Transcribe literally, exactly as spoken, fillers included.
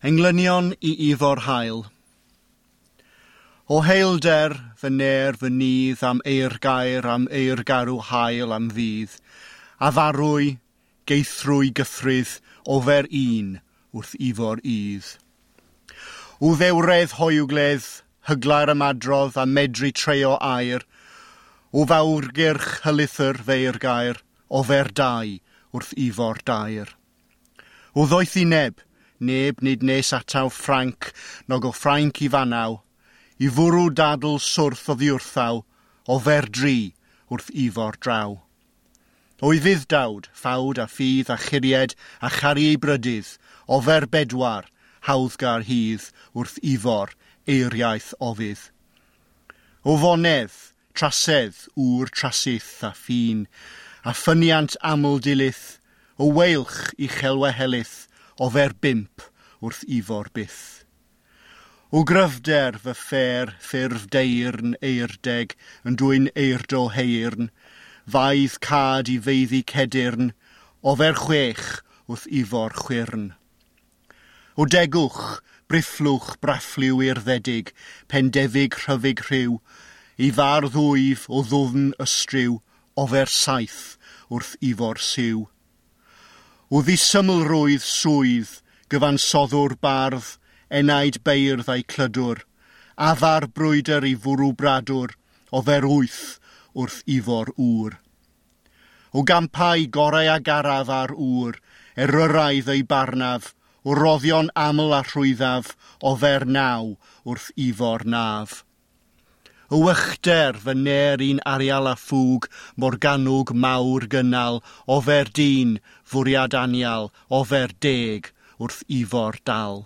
Englynion i Ifor Hael. O heilder fy ner fy nydd am eirgair, am eirgarw hael am ddydd, a farwy, geithrwy gythrydd, ofer un wrth Ifor Udd. O ddewredd hoywgledd, hygla'r ymadrodd a medru treio air, o fawrgyrch hylithr feirgair, ofer dau wrth Ifor dair. O ddoethineb, neb nid nes ataw Ffranc, nog o Ffrainc i fanaw, i fwrw dadl swrth oddi wrthaw, ofer dri wrth Ifor draw. O'i fudd-dawd, ffawd a ffydd a churied a charu ei brydydd, ofer bedwar, hawddgar hydd wrth Ifor eiriaeth ofydd. O fonedd, trasedd, ŵr trasith a ffin, a ffyniant aml dilith, o weilch uchelwehelyth, ofer bump wrth Ifor byth. O gryfder fy ffer ffurf deyrn eirdeg yn dwyn eirdo heirn, faidd cad i feiddi cedyrn, ofer chwech wrth Ifor chwyrn. O degwch, brifflwch braffliw urddedig, pendefig rhyfig rhyw, i fardd wyf o ddwfn ystryw, ofer saith wrth Ifor syw. O ddisymlrwydd swydd, gyfansoddwr bardd, enaid beirdd a'i clydwr, afar brwydr i fwrw bradwr, ofer wyth wrth Ifor ŵr. O gampau gorau a garaf ar ŵr, eryraidd ei barnaf, o roddion aml a rhwyddaf, ofer naw wrth Ifor naf. O wychder fy ner un arial a ffwg, Morgannwg mawr gynnal, ofer dyn, fwriad anial, ofer deg wrth Ifor dal.